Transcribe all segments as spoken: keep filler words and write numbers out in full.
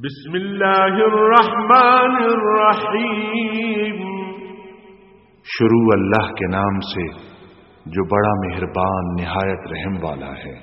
بسم اللہ الرحمن الرحیم۔ شروع اللہ کے نام سے، جو بڑا مہربان، نہایت رحم والا ہے۔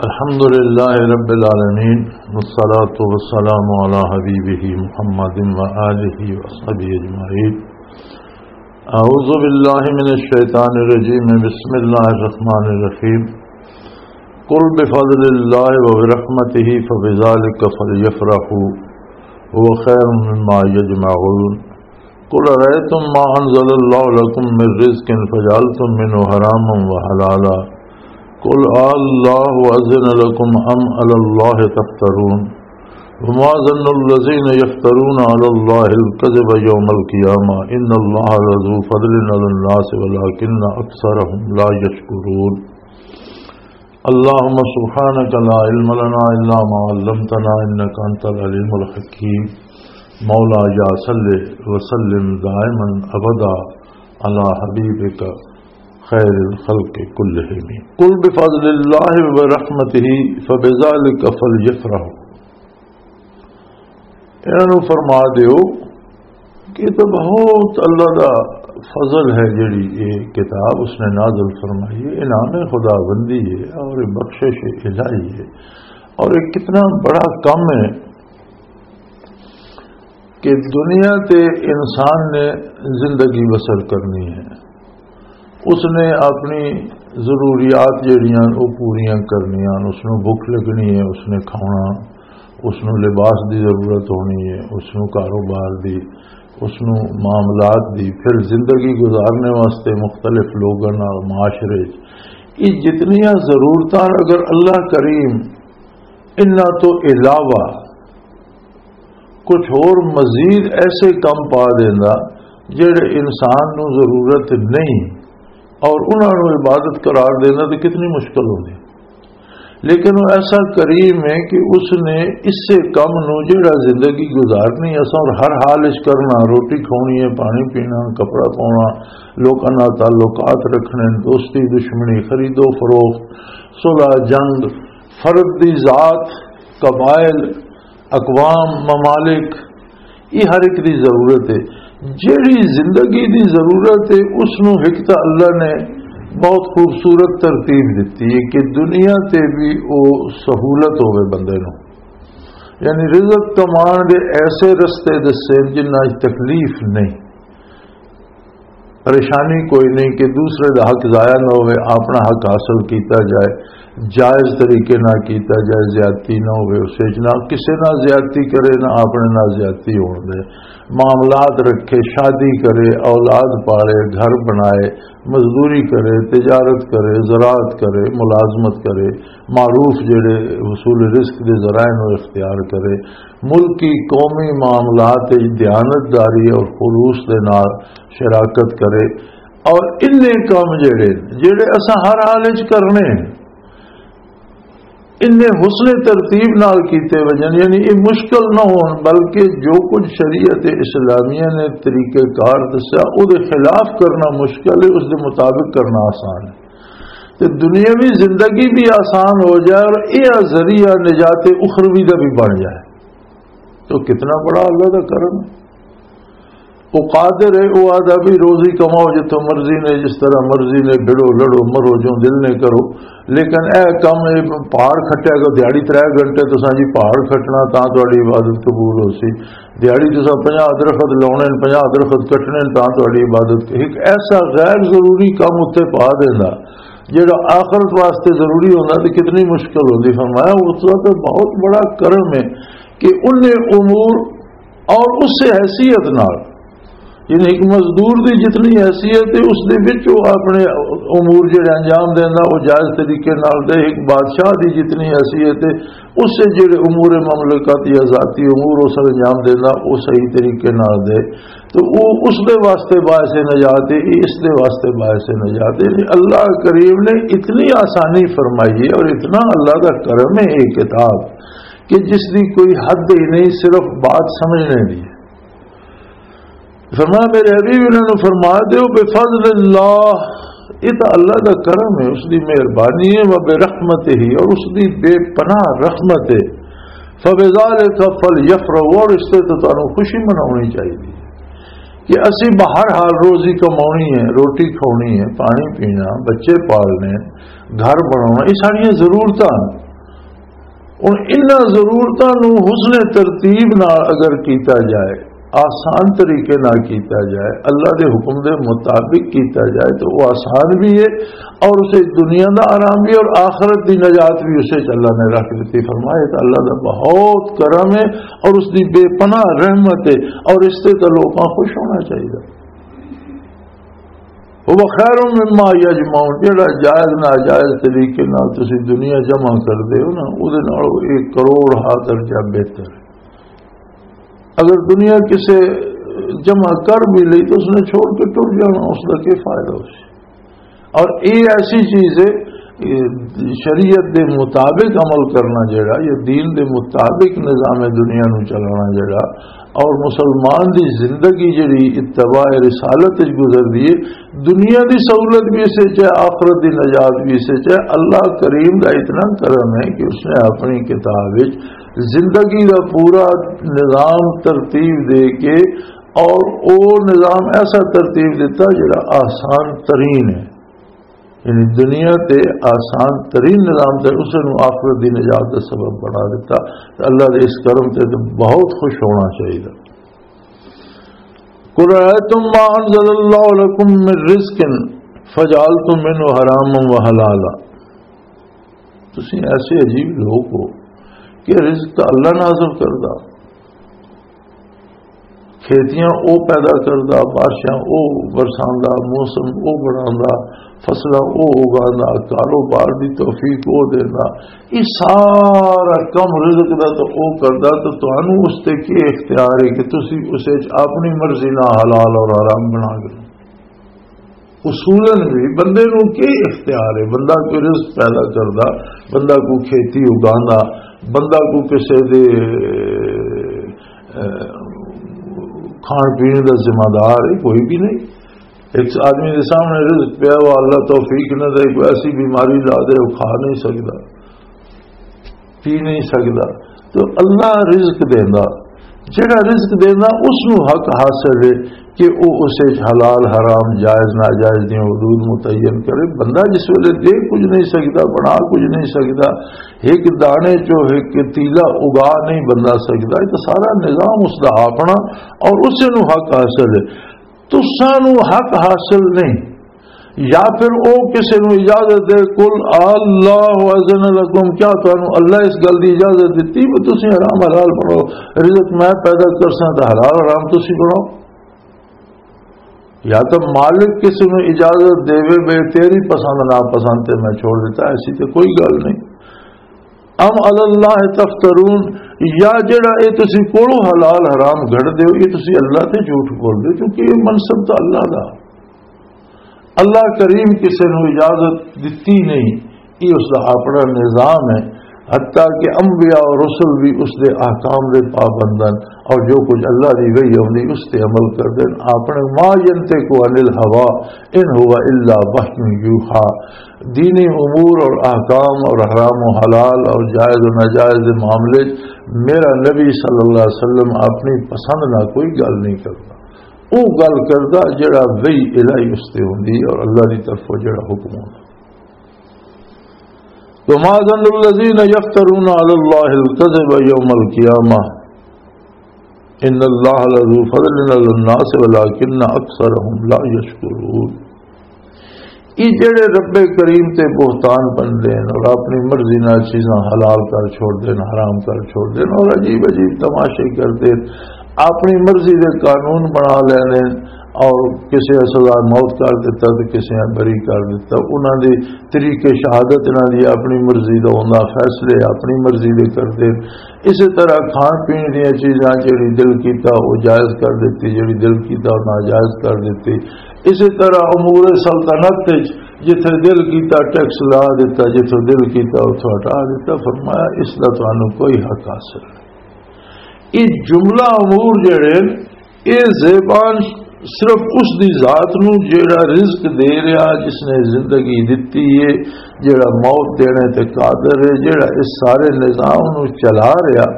الحمد لله رب العالمين، والصلاة والسلام على حبيبه محمد وآله وصحبه أجمعين. أعوذ بالله من الشيطان الرجيم. بسم الله الرحمن الرحيم. قل بفضل الله وبرحمته فبذلك فليفرحوا هو خير مما يجمعون. قل أرأيتم ما أنزل الله لكم من رزق فجعلتم منه حراما وحلالا. قل الله أذن لكم أم على الله تفترون. وما ظن الذين يفترون على الله الكذب يوم القيامة إن الله لذو فضل على الناس ولكن أكثرهم لا يشكرون. اللهم سبحانك لا علم لنا إلا ما علمتنا إنك أنت العليم الحكيم. مولاي صل وسلم دائما أبدا على حبيبك خير الخلق كلهم. قل بفضل الله وبرحمته فبذلك فليفرحوا. انہاں نوں فرما دیو کہ یہ تو بہت اللہ دا فضل ہے، جڑی یہ کتاب اس نے نازل فرمائی ہے، انعام خداوندی ہے اور یہ بخشش الہی ہے۔ اور یہ کتنا بڑا کم ہے کہ دنیا تے انسان نے زندگی بسر کرنی ہے، اس نے اپنی ضروریات جڑیاں وہ پوریاں کرنیاں، اس نوں بھوک لگنی ہے، اس نے کھانا، اس نوں لباس دی ضرورت ہونی ہے، اس نوں کاروبار دی، اس نوں معاملات دی، پھر زندگی گزارنے واسطے مختلف لوگاں نال معاشرے وچ۔ یہ جتنیاں ضرورتاں اگر اللہ کریم انہاں تو علاوہ کچھ ہور مزید ایسے کم پا دیندا جڑے انسان نوں ضرورت نہیں اور انہاں نوں عبادت قرار دینا تو کتنی مشکل ہوندی۔ لیکن وہ ایسا کریم ہے کہ اس نے اس سے کم نوں جڑا زندگی گزارنی اساں اور ہر حال وچ کرنا، روٹی کھانی ہے، پانی پینا، کپڑا پاؤنا، لوکاں نال تعلقات رکھنے، دوستی دشمنی، خرید و فروخت، صلح جنگ، فرد دی ذات، قبائل، اقوام، ممالک، یہ ہر ایک دی ضرورت ہے۔ جیڑی زندگی دی ضرورت ہے، اس نو ایک تاں اللہ نے بہت خوبصورت ترتیب دتی ہے کہ دنیا تے بھی او سہولت ہوے بندے نو، یعنی رزق کمان دے ایسے رستے دسے جنہاں وچ تکلیف نہیں، پریشانی کوئی نہیں کہ دوسرے دا حق ضائع نہ ہوئے، اپنا حق حاصل کیتا جائے، جائز طریقے نہ کیتا جائے، زیادتی نہ ہوئے، اس وچ نہ کسے نال زیادتی کرے، نہ اپنے نال زیادتی ہون دے، معاملات رکھے، شادی کرے، اولاد پالے، گھر بنائے، مزدوری کرے، تجارت کرے، زراعت کرے، ملازمت کرے، معروف جڑے حصول رزق دے ذرائع نو اختیار کرے، ملکی قومی معاملات وچ دیانتداری اور خلوص دے نال شراکت کرے، اور انہیں کم جڑے، جڑے اساں ہر حال وچ کرنے ہیں، انہیں حسن ترتیب نال کیتے وجن، یعنی یہ مشکل نہ ہون، بلکہ جو کچھ شریعت اسلامیہ نے طریقہ کار دسیا، او دے خلاف کرنا مشکل ہے، اس دے مطابق کرنا آسان ہے۔ تے دنیاوی زندگی بھی آسان ہو جائے اور یہ ذریعہ نجات اخروی دا بھی بن جائے، تو کتنا بڑا اللہ دا کرم ہے۔ وہ قادر ہے، وہ آدھا بھی روزی کماؤ جتوں مرضی نے، جس طرح مرضی نے، بھڑو لڑو، مرو جو دل نے کرو، لیکن اے کم، اے پہاڑ کھٹیا گا، دیہاڑی ترے گھنٹے تساں جی پہاڑ کھٹنا تاں تہاڈی عبادت قبول ہو سی، دیہاڑی تساں پنجاہ درخت لاؤنے نے، پنجاہ درخت کٹنے نے تاں تہاڈی عبادت، ایک ایسا غیر ضروری کم اتھے پا دینا جڑا آخرت واسطے ضروری ہونا، تے کتنی مشکل ہوندی۔ فرمایا اس وقت بہت بڑا کرم ہے کہ انہیں امور اور اس سے حیثیت نال، یعنی ایک مزدور دی جتنی حیثیت ہے، اس دے وچ وہ اپنے امور جڑے انجام دیندا، وہ جائز طریقے نال دے۔ ایک بادشاہ دی جتنی حیثیت ہے، اس سے جڑے امور مملکت یا ذاتی امور وہ سر انجام دیندا، وہ صحیح طریقے نال دے، تو وہ اس دے واسطے باعث نجات ہے، یہ اس دے واسطے باعث نجات ہے۔ یعنی اللہ کریم نے اتنی آسانی فرمائی ہے اور اتنا اللہ کا کرم ہے یہ کتاب کہ جس دی کوئی حد ہی نہیں، صرف بات سمجھنے دی ہے۔ فرمایا، میرے حبیب، انہاں نوں فرما دیو، بفضل اللہ، یہ تو اللہ دا کرم ہے، اس دی مہربانی ہے، و برحمتہ، اور اس دی بے پناہ رحمت ہے۔ فبذالک فلیفرحوا، اور اس تے تو تانوں خوشی مناونی چاہیے کہ اسی بہر حال روزی کماونی ہے، روٹی کھاونی ہے، پانی پینا، بچے پالنے، گھر بناونا، یہ ساریاں ضرورتاں ہیں۔ ہن انہاں ضرورتاں نوں حسن ترتیب نال اگر کیتا جائے، آسان طریقے نال کیتا جائے، اللہ دے حکم دے مطابق کیتا جائے تو وہ آسان بھی ہے، اور اسے دنیا دا آرام بھی اور آخرت دی نجات بھی اسے چ اللہ نے رکھ دتی۔ فرمایا تو اللہ دا بہت کرم ہے اور اس دی بے پناہ رحمت ہے، اور اس تے تو لوکاں خوش ہونا چاہیے۔ وہ خیر مما یجمعون، جڑا جائز ناجائز طریقے نال تسی دنیا جمع کردے ہو نا، او دے نال ایک کروڑ ہا درجہ بہتر ہے۔ اگر دنیا کسے جمع کر بھی لئی تو اس نے چھوڑ کے ٹر جانا، اس کا کیا فائدہ؟ اس اور یہ ایسی چیز ہے، یہ شریعت دے مطابق عمل کرنا جڑا، یا دین دے مطابق نظام دنیا نو چلانا جڑا، اور مسلمان دی زندگی جڑی اتباع رسالت وچ گزر دی ہے، دنیا دی سہولت بھی اسے چ ہے، آخرت دی نجات بھی اسے چ ہے۔ اللہ کریم دا اتنا کرم ہے کہ اس نے اپنی کتاب وچ زندگی دا پورا نظام ترتیب دے کے، اور او نظام ایسا ترتیب دیتا جڑا آسان ترین ہے، یعنی دنیا تے آسان ترین نظام تے اسے نوں آخرت دی نجات دا سبب بنا دیتا۔ تے اللہ دے اس کرم تے تے بہت خوش ہونا چاہیے۔ قل رأيتم ما أنزل الله لكم من رزق فجعلتم منه حراما وحلالا۔ تسی ایسے عجیب لوگ ہو کہ رزق تو اللہ نازل کردا، کھیتیاں او پیدا کردا، بارشاں او برساندا، موسم او بناندا، فصلاں او اگاندا، کاروبار دی توفیق او دیندا۔ یہ سارا کم رزق دا تو او کردا، تو تانوں اس تے کی اختیار ہے کہ تسی اسے چ اپنی مرضی نال حلال اور حرام بنا کے؟ اصولاً بھی بندے نوں کی اختیار ہے؟ بندہ کوئی رزق پیدا کردا، بندہ کوئی کھیتی اگاندا، بندہ کوئی کسے دے، اے، کھان پین دا ذمہ دار ہے؟ کوئی بھی نہیں۔ ایک آدمی دے سامنے رزق پیا ہوا، اللہ توفیق نہ دے، کوئی ایسی بیماری لا دے، وہ کھا نہیں سکدا، پی نہیں سکدا۔ تو اللہ رزق دیندا، جڑا رزق دیندا اس نوں حق حاصل ہے کہ او اسے حلال حرام، جائز ناجائز دی حدود متعین کرے۔ بندہ جس ویلے دے کچھ نہیں سکدا، بنا کچھ نہیں سکدا، ایک دانے چو ایک تیلا اگا نہیں بندہ سکدا، یہ تو سارا نظام اس دا اپنا اور اسے نوں حق حاصل ہے۔ تساں نوں حق حاصل نہیں۔ یا پھر او کسے نوں اجازت دے، قل اللہ اذن لکم، کیا تانوں اللہ اس گل دی اجازت دتی بھی تسی حرام حلال بناؤ؟ رزق میں پیدا کرساں تے حلال حرام تسی بناؤ۔ یا تو مالک کسے نوں اجازت دے وے، بے تیری پسند ناپسند تے میں چھوڑ دیتا، ایسی تے کوئی گل نہیں۔ ام علی اللہ تفترون، یا جڑا اے تسی کولوں حلال حرام گھڑ دیو، اے تسی اللہ تے جھوٹ بول دیو، کیونکہ اے منصب تو اللہ دا۔ اللہ کریم کسے نوں اجازت دتی نہیں، اے اس دا اپنا نظام ہے۔ حتیٰ کہ انبیاء اور رسل بھی اس دے احکام دے پابند ہیں، اور جو کچھ اللہ دی وحی آوندی اس تے عمل کردے ہیں۔ اپنے ما ینطق عن الہویٰ ان هو الا وحی یوحیٰ۔ دینی امور اور احکام اور حرام و حلال اور جائز و ناجائز دے معاملے چ میرا نبی صلی اللہ علیہ وسلم اپنی پسند نہ کوئی گل نہیں کرتا۔ وہ گل کردا جڑا وحی الہی اس تے ہوندی ہے اور اللہ دی طرفوں جڑا حکم ہوندا۔ وما ظن الذين يفترون على الله الكذب يوم القيامة ان اللہ لذو فضل علی الناس ولکن اکثرهم لا یشکرون۔ یہ جڑے رب کریم تے بہتان بندے ہیں اور اپنی مرضی نال چیزاں حلال کر چھوڑ دے، حرام کر چھوڑ دے اور عجیب عجیب تماشے کردے، اپنی مرضی دے قانون بنا لیندے اور کسے سزا موت کر دیتا تے کسے بری کر دیتا، انہاں دے طریقے شہادت انہاں دی اپنی مرضی دا ہوندا، فیصلے اپنی مرضی دے کردے۔ اسی طرح کھان پین دیاں چیزاں جڑی دل کیتا وہ جائز کر دتی، جڑی دل کیتا وہ ناجائز کر دتی۔ اسی طرح امور سلطنت وچ جتھے دل کیتا ٹیکس لا دیتا، جتھے دل کیتا اتھوں ہٹا دیتا۔ فرمایا اس دا تانوں کوئی حق حاصل نہیں۔ یہ جملہ امور جڑے یہ زیبان صرف اس دی ذات نو جیڑا رزق دے رہا، جس نے زندگی دتی ہے، جیڑا موت دینے تے قادر ہے، جیڑا اس سارے نظام نو چلا رہا،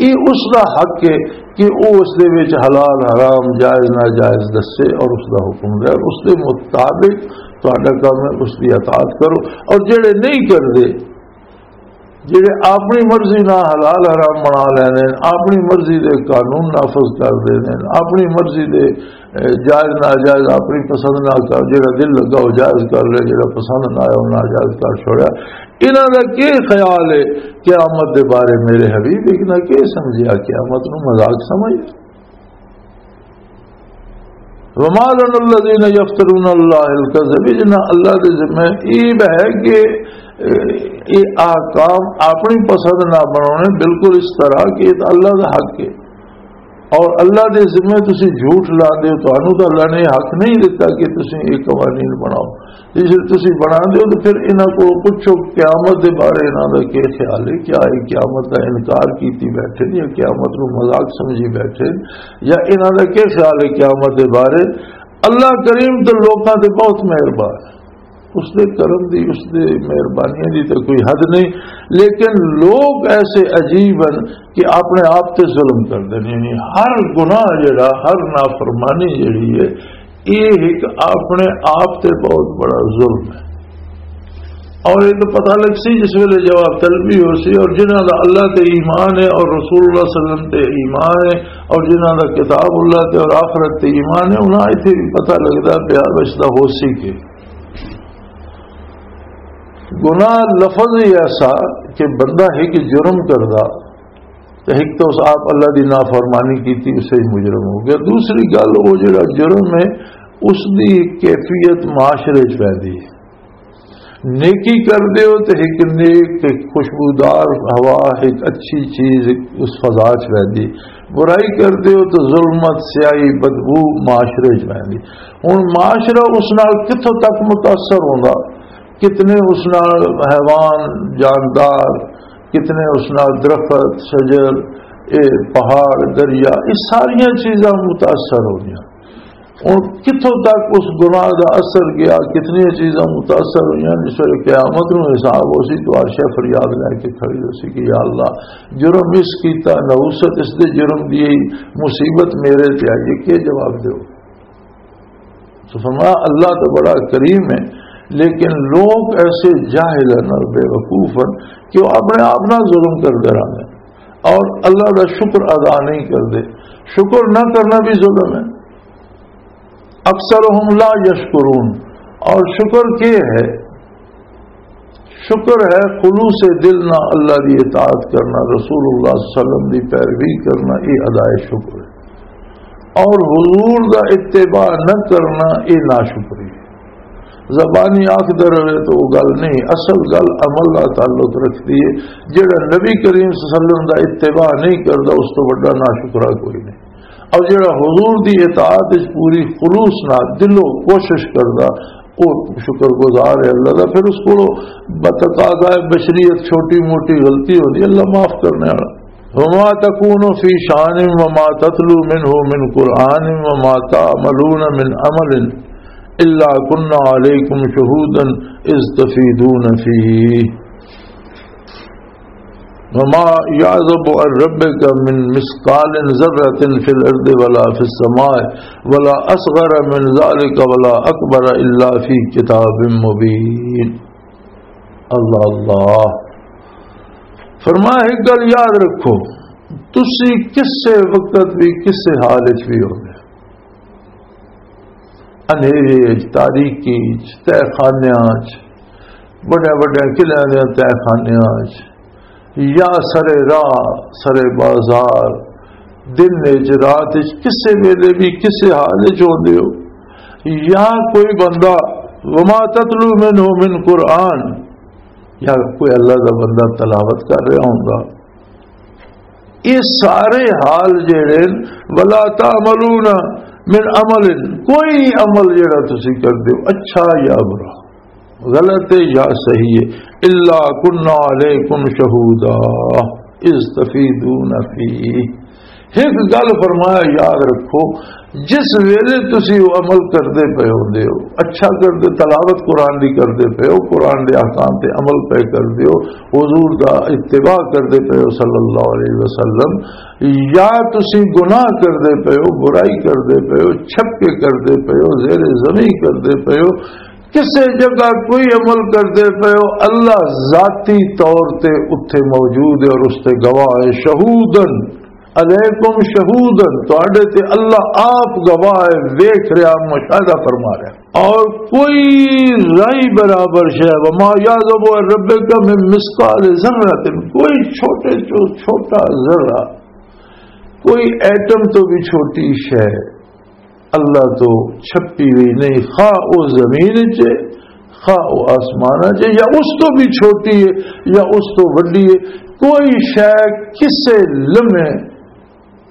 یہ اس دا حق ہے کہ وہ اس دے وچ حلال حرام، جائز ناجائز دسے اور اس دا حکم دے، اس دے مطابق تہاڈا کم ہے، اس دی اطاعت کرو۔ اور جیڑے نہیں کردے، جڑے اپنی مرضی نال حلال حرام بنا لینے، اپنی مرضی دے قانون نافذ کر دینے، اپنی مرضی دے، اے، جائز ناجائز اپنی پسند نال کر، جڑا دل لگا وہ جائز کر لے، جڑا پسند نہ آیا وہ ناجائز کر چھوڑیا۔ انہاں دا کی خیال ہے قیامت دے بارے؟ میرے حبیب، ایک نہ کی سمجھیا، قیامت نو مذاق سمجھ؟ وما لنا الذين يفترون على الله الكذب، جنہاں اللہ دے ذمے ایب ہے کہ، اے، یہ احکام اپنی پسند نہ بنانے، بالکل اس طرح کہ یہ تو اللہ دا حق ہے۔ اور اللہ دے ذمے تسی جھوٹ لا دیو، تانوں تو اللہ نے حق نہیں دیتا کہ تسی یہ قوانین بناؤ۔ جے تسی بنا دیو تو پھر انہاں کو پوچھو، قیامت دے بارے انہاں دا کی خیال ہے؟ کیا یہ قیامت دا انکار کیتی بیٹھے یا قیامت نو مذاق سمجھی بیٹھے؟ یا انہاں دا کی خیال ہے قیامت دے بارے؟ اللہ کریم تو لوکاں تے بہت مہربان ہے، اس دے کرم دی، اس دے مہربانیاں دی تو کوئی حد نہیں۔ لیکن لوگ ایسے عجیب ہیں کہ اپنے آپ تے ظلم کر دیں، یعنی ہر گناہ جڑا، ہر نافرمانی جڑی ہے، یہ ایک اپنے آپ تے بہت بڑا ظلم ہے۔ اور یہ تو پتہ لگ سی جس ویلے جواب طلبی ہو سی، اور جنہاں دا اللہ تے ایمان ہے اور رسول اللہ صلی اللہ علیہ وسلم تے ایمان ہے، اور جنہاں دا کتاب اللہ تے اور آخرت تے ایمان ہے، انہاں ایتھے بھی پتہ لگدا پیا بچدا ہو سی کہ گناہ لفظ ہی ایسا کہ بندہ ایک جرم کردا تے ایک تو اس آپ اللہ دی نافرمانی کیتی، اسے ہی مجرم ہو گیا۔ دوسری گل، وہ جڑا جرم ہے، اس دی ایک کیفیت معاشرے چ پیندی ہے۔ نیکی کر دیو تے ایک نیک تے خوشبودار ہوا، ایک اچھی چیز اس فضا چ پیندی۔ برائی کر دیو تے ظلمت، سیاہی، بدبو معاشرے چ پیندی۔ ہن معاشرہ اس نال کتھوں تک متاثر ہوندا؟ کتنے اس نال حیوان، جاندار، کتنے اس نال درخت، شجر، اے پہاڑ، دریا، یہ ساریاں چیزاں متاثر ہو گیا۔ اور کتھوں تک اس گناہ دا اثر گیا، کتنی چیزاں متاثر ہوئیاں، جس ویلے قیامت نو حساب ہو سی تو عرش فریاد لے کے کھڑی ہو سی کہ یا اللہ، جرم اس کیتا، نحوست اس دے جرم دی، مصیبت میرے تے آئی ہے، کیا جواب دیو؟ سو فرمایا، اللہ تو بڑا کریم ہے، لیکن لوگ ایسے جاہل ہیں اور بے وقوف ہیں کہ وہ اپنے آپ نہ ظلم کر دے رہے ہیں اور اللہ کا شکر ادا نہیں کر دے۔ شکر نہ کرنا بھی ظلم ہے۔ اکثرهم لا یشکرون۔ اور شکر کیا ہے؟ شکر ہے خلوص دل نہ اللہ دی اطاعت کرنا، رسول اللہ صلی اللہ علیہ وسلم دی پیروی کرنا، یہ ادائے شکر ہے۔ اور حضور دا اتباع نہ کرنا، یہ ناشکری ہے۔ زبانی آکھ در رہے تو وہ گل نہیں، اصل گل عمل دا تعلق رکھتی ہے۔ جڑا نبی کریم صلی اللہ علیہ وسلم دا اتباع نہیں کردا، اس تو بڑا ناشکرا کوئی نہیں۔ اور جڑا حضور دی اطاعت وچ پوری خلوص نال دلوں کوشش کردا، او شکر گزار ہے اللہ دا۔ پھر اس کولوں بتقاضائے بشریت چھوٹی موٹی غلطی ہوندی، اللہ معاف کرنے والا۔ وما تكون في شأن وما تتلو منه من قرآن وما تعملون من عمل إلا كنا عليكم شهودا إذ تفيضون فيه۔ وما يعزب عن ربك من مثقال ذرة في الأرض ولا في السماء ولا أصغر من ذلك ولا أكبر إلا في كتاب مبين۔ اللہ اللہ۔ فرمایا، ایک گل یاد رکھو، تسی کسے وقت بھی، کسے حال وچ بھی ہوندے، اندھیرے وچ، تاریکی وچ، تہہ خانیاں وچ، بڑے بڑے قلعیاں دے تہہ خانیاں وچ، یا سرے راہ، سرے بازار، دن وچ، رات وچ، کسے ویلے بھی، کسے حال وچ ہوندے ہو، یا کوئی بندہ، وما تتلو منه من قرآن، یا کوئی اللہ دا بندہ تلاوت کر رہا ہوندا، یہ سارے حال جڑے، ولا تعملون من عمل، کوئی عمل جڑا تسی کردے ہو، اچھا یا برا، غلط ہے یا صحیح ہے، الا کنا علیکم شہودا اذ تفیضون فیہ، ایک گل فرمایا، یاد رکھو، جس ویلے تسی وہ عمل کردے پے ہوندے ہو، اچھا کردے، تلاوت قرآن دی کردے پے ہو، قرآن دے احکام تے عمل پے کردے ہو، حضور دا اتباع کردے پے ہو صلی اللہ علیہ وسلم، یا تسی گناہ کردے پے ہو، برائی کردے پے ہو، چھپکے کردے پے ہو، زیر زمین کردے پے ہو، کسے جگہ کوئی عمل کردے پے ہو، اللہ ذاتی طور تے اتھے موجود ہے اور اس تے گواہ ہے۔ شہودن علیکم شہودن، تواڈے تے اللہ آپ گواہ ہے، ویکھ رہا، مشاہدہ فرما رہا۔ اور کوئی رائی برابر شے، وما یعزب عن ربک من مثقال ذرۃ، کوئی چھوٹے چو چھوٹا ذرہ، کوئی ایٹم تو بھی چھوٹی شے اللہ تو چھپی ہوئی نہیں، خواہ او زمین چ، خواہ او آسمان چ، یا اس تو بھی چھوٹی ہے، یا اس تو وڈی ہے۔ کوئی شے کسے لمحے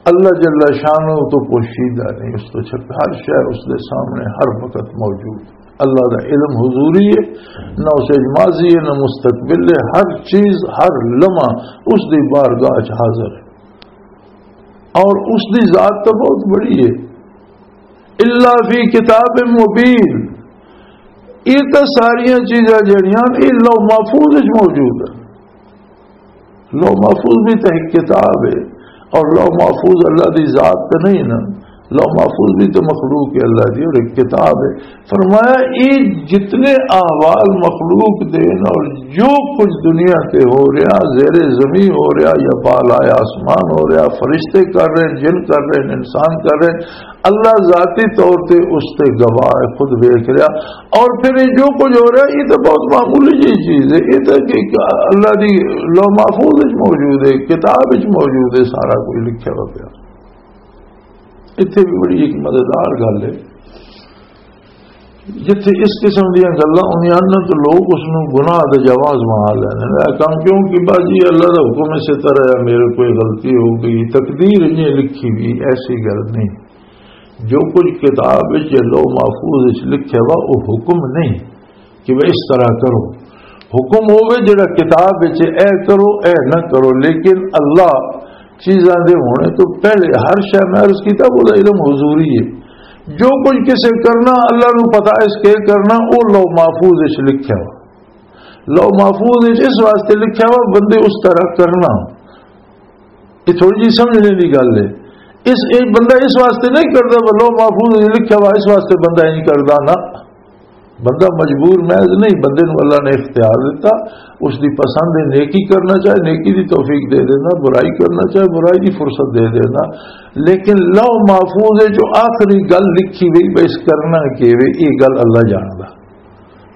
اللہ جل شانہ تو پوشیدہ نہیں، اس تو چھپ، ہر شے اس دے سامنے ہر وقت موجود۔ اللہ دا علم حضوری ہے، نہ اس وچ ماضی ہے، نہ مستقبل ہے، ہر چیز، ہر لمحہ اس دی بارگاہ چ حاضر ہے۔ اور اس دی ذات تو بہت بڑی ہے۔ الا فی کتاب مبین، یہ تو ساریاں چیزاں جڑیاں یہ لوح محفوظ وچ موجود ہیں۔ لوح محفوظ بھی تو ایک کتاب ہے، اور لوح محفوظ اللہ دی ذات تو نہیں نا، لوح محفوظ بھی تو مخلوق ہے اللہ دی، اور ایک کتاب ہے۔ فرمایا، یہ جتنے احوال مخلوق دے نا، اور جو کچھ دنیا تے ہو رہا، زیر زمین ہو رہا یا بالائے آسمان ہو رہا، فرشتے کر رہے ہیں، جن کر رہے ہیں، انسان کر رہے ہیں، اللہ ذاتی طور تے اس تے گواہ ہے، خود ویکھ رہا۔ اور پھر یہ جو کچھ ہو رہا ہے، یہ تو بہت معمولی جی چیز ہے، یہ تو کہ اللہ دی لوح محفوظ وچ موجود ہے، کتاب وچ موجود ہے، سارا کچھ لکھیا ہوا پیا۔ اتھے بھی بڑی ایک مزیدار گل ہے، جتھے اس قسم دیاں گلاں ہوندیاں ہن تو لوگ اس نوں گناہ دے جواز بنا لیندے نے۔ اے کم کیوں کہ بس جی اللہ دا حکم اسی طرح ہے، میرے کوئی غلطی ہو گئی، تقدیر انجے لکھی بھی، ایسی گل نہیں۔ جو کچھ کتاب وچ یا لوح محفوظ وچ لکھیا وا، او حکم نہیں کہ وہ اس طرح کرو۔ حکم ہوے جڑا کتاب وچ، اے کرو، اے نہ کرو، لیکن اللہ چیزاں دے ہونے تو پہلے ہر شے، میں عرض کیتا، وہ علم حضوری ہے۔ جو کچھ کسے کرنا، اللہ نو پتا اس کے کرنا، وہ لوح محفوظ وچ لکھیا وا۔ لوح محفوظ وچ اس واسطے لکھیا وا، بندے اس طرح کرنا۔ یہ تھوڑی جی سمجھنے دی گل ہے۔ اس، ایک بندہ اس واسطے نہیں کردا، وہ لوح محفوظ وچ لکھیا وا، اس واسطے بندہ نہیں کردا نا۔ بندہ مجبور محض نہیں، بندے نو اللہ نے اختیار دیتا، اس دی پسند ہے نیکی کرنا چاہے نیکی دی توفیق دے دینا، برائی کرنا چاہے برائی دی فرصت دے دینا۔ لیکن لوح محفوظ ہے جو آخری گل لکھی گئی، بس کرنا کی وے، یہ گل اللہ جاندا۔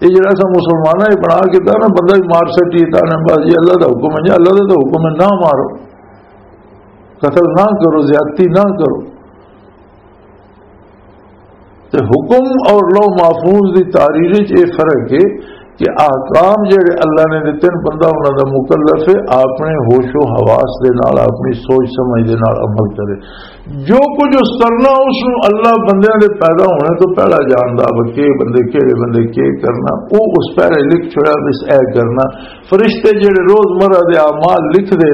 یہ جڑا سا مسلماناں نے بنا کے نا، بندہ بھی مار سٹی تا نا، بس جی اللہ دا حکم ہے، جی اللہ دا تو حکم ہے، نہ مارو، قتل نہ کرو، زیادتی نہ کرو۔ تے حکم اور لوح محفوظ دی تحریر وچ یہ فرق ہے کہ احکام جڑے اللہ نے دتے نے، بندہ انہاں دا مکلف ہے، اپنے ہوش و حواس دے نال، اپنی سوچ سمجھ دے نال عمل کرے۔ جو کچھ اس کرنا، اس نوں اللہ بندیاں دے پیدا ہونے تو پہلا جاندا، وہ کے بندے، کہڑے بندے کے کرنا، وہ اس پہلے لکھ چھوڑا، بس اے کرنا۔ فرشتے جڑے روزمرہ دے اعمال لکھ دے،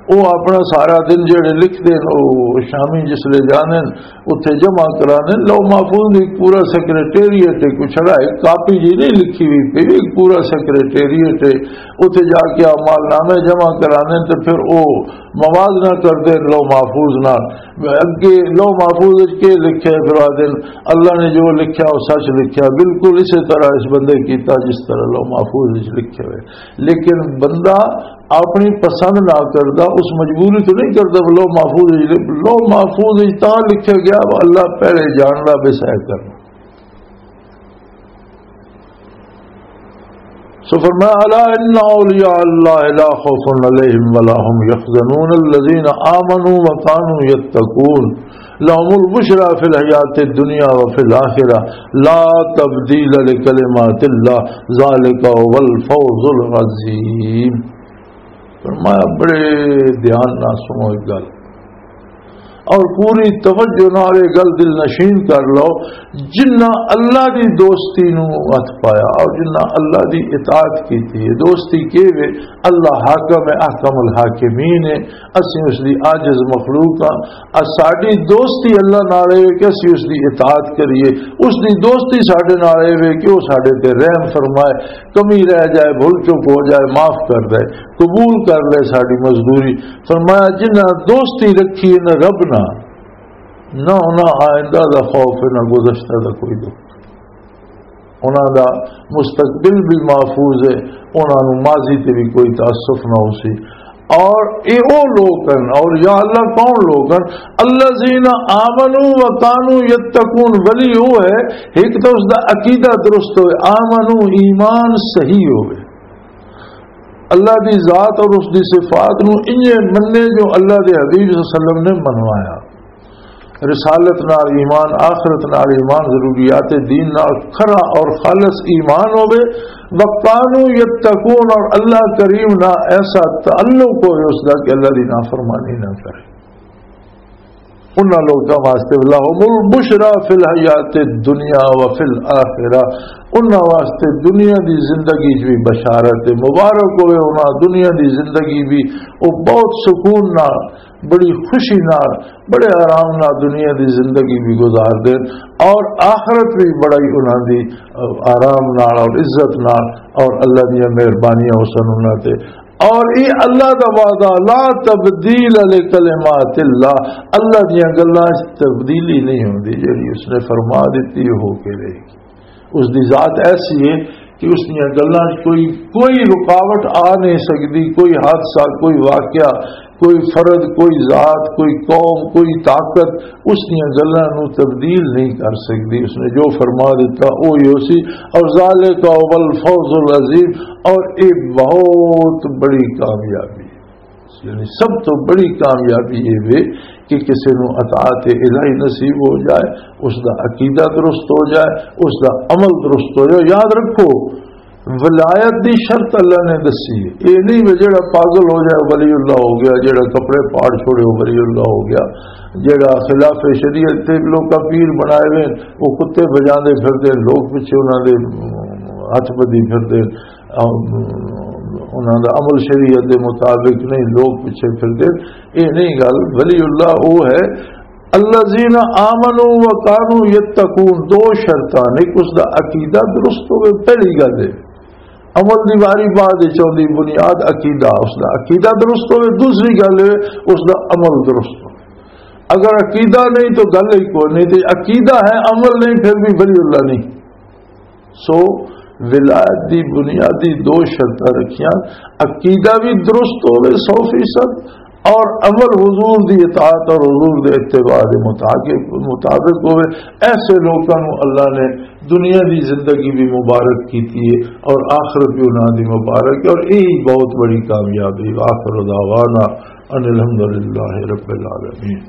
وہ اپنا سارا دن جڑے لکھ دے، وہ شامی جس لے جانے، اتھے جمع کرانے۔ لوح محفوظ بھی پورا سیکرٹریٹ ہے، کوئی چھڑا ایک کاپی جی نہیں لکھی ہوئی پئی، ایک پورا سیکرٹریٹ ہے۔ اتھے جا کے اعمال نامے جمع کرانے تے پھر او موازنہ کردے لوح محفوظ نال۔ اگے لوح محفوظ وچ کے لکھیا ہے، پھر آدھے اللہ نے جو لکھیا وہ سچ لکھیا، بالکل اسی طرح اس بندے کیتا جس طرح لوح محفوظ وچ لکھے ہوئے۔ لیکن بندہ اپنی پسند نہ کردا، اس مجبوری تو نہیں کردا، لوح محفوظ وچ لکھ-، لوح محفوظ وچ تاں لکھیا گیا، اللہ پہلے جاندا بے سہ کرنا۔ سو فرمایا، الا ان اولیاء اللہ لا خوف علیہم ولا هم يحزنون الذین آمنوا وكانوا يتقون لهم البشرى في الحیات الدنیا وفي الآخرة لا تبدیل لکلمات اللہ ذالک هو الفوز العظیم۔ فرمایا، بڑے دھیان نال سنو ایک گل۔ اور پوری توجہ نال یہ گل دل نشین کر لو، جنہ اللہ دی دوستی نو ہتھ پایا اور جنہ اللہ دی اطاعت کیتی ہے۔ دوستی کی وے؟ اللہ حاکم ہے، احکم الحاکمین ہے۔ اسی اس دی عاجز مخلوق ہاں۔ آ ساڈی دوستی اللہ نال ہے کہ اسی اس دی اطاعت کریے، اس دی دوستی ساڈے نال ہے کہ وہ ساڈے تے رحم فرمائے، کمی رہ جائے، بھول چوک ہو جائے، معاف کر دے، قبول کر لے ساڈی مزدوری۔ فرمایا، جنہاں دوستی رکھی ہے نہ رب نہ، نہ انہاں آئندہ دا خوف ہے، نہ گزشتہ دا کوئی دکھ۔ انہاں دا مستقبل بھی محفوظ ہے، انہاں نوں ماضی تے بھی کوئی تاسف نہ ہو سی۔ اور اے او لوگ ہن، اور یا اللہ کون لوگ ہن؟ الذین آمنوا و کانوا یتقون۔ ولی وہ ہے، ایک تو اس دا عقیدہ درست ہوئے، آمنوا، ایمان صحیح ہوئے، اللہ دی ذات اور اس دی صفات نوں انجے مننے جو اللہ دے حبیب صلی اللہ علیہ وسلم نے منوایا۔ رسالت نال ایمان، آخرت نال ایمان، ضروریات دین نال کھرا اور خالص ایمان ہوے۔ وَكَانُوا يَتَّقُونَ، اور اللہ کریم نال ایسا تعلق ہوئے اس دا کہ اللہ دی نافرمانی نہ کرے۔ انہاں لوکاں واسطے لَهُمُ الْبُشْرَىٰ فِي الْحَيَاةِ الدُّنْيَا وَفِي الْآخِرَةِ، انہاں واسطے دنیا دی زندگی وچ بھی بشارت ہے، مبارک ہوئے انہاں دنیا دی زندگی بھی، وہ بہت سکون نال، بڑی خوشی نال، بڑے آرام نال دنیا دی زندگی بھی گزار دین اور آخرت بھی بڑا ہی انہاں دی، آ، آرام نال اور عزت نال اور اللہ دیاں مہربانیاں ہوسن انہاں تے۔ اور یہ اللہ دا وعدہ، لا تبدیل لکلمات اللہ، اللہ دیاں گلاں وچ تبدیلی نہیں ہوندی، جڑی اس نے فرما دتی ہو کے رہے گی۔ اس دی ذات ایسی ہے کہ اس دیاں گلاں 'چ کوئی، کوئی رکاوٹ آ نہیں سکدی، کوئی حادثہ، کوئی واقعہ، کوئی فرد، کوئی ذات، کوئی قوم، کوئی طاقت اس دیاں گلاں نوں تبدیل نہیں کر سکدی۔ اس نے جو فرما دتا، او ہی ہو سی۔ اور ذالک هو الفوز العظیم، اور یہ بہت بڑی کامیابی، یعنی سب تو بڑی کامیابی یہ وے کہ کسی نوں اطاعت الہی نصیب ہو جائے، اس دا عقیدہ درست ہو جائے، اس دا عمل درست ہو جائے۔ یاد رکھو، ولایت دی شرط اللہ نے دسی ہے۔ یہ نہیں وے جڑا پاگل ہو جائے ولی اللہ ہو گیا، جڑا کپڑے پاڑ چھوڑے وہ ولی اللہ ہو گیا، جڑا خلاف شریعت تے لوکاں پیر بنائے ہوئے، وہ کتے بجاندے پھردے، لوگ پیچھے انہاں دے ہتھ بدھی پھردے، انہاں دا عمل شریعت دے مطابق نہیں، لوگ پیچھے پھردے۔ یہ نہیں گل، ولی اللہ وہ ہے، الذین آمنوا و کانوا یتقون، دو شرطاں نے، اس دا عقیدہ درست ہوئے، پہلی گل ہے۔ عمل دی واری بعد وچ آؤندی، بنیاد عقیدہ، اس دا عقیدہ درست ہوئے، دوسری گل ہے اس دا عمل درست ہوئے۔ اگر عقیدہ نہیں تو گل ہی کوئی نہیں، تے عقیدہ ہے عمل نہیں پھر بھی ولی اللہ نہیں۔ سو ولایت دی بنیادی دو شرطاں رکھیاں، عقیدہ بھی درست ہوئے سو فیصد، اور عمل حضور دی اطاعت اور حضور دے اتباع دے مطابق، مطابق ہوئے۔ ایسے لوکاں نوں اللہ نے دنیا دی زندگی بھی مبارک کیتی ہے اور آخرت بھی انہاں دی مبارک ہے، اور یہی بہت بڑی کامیابی۔ آخر دعوانا ان الحمدللہ رب العالمین۔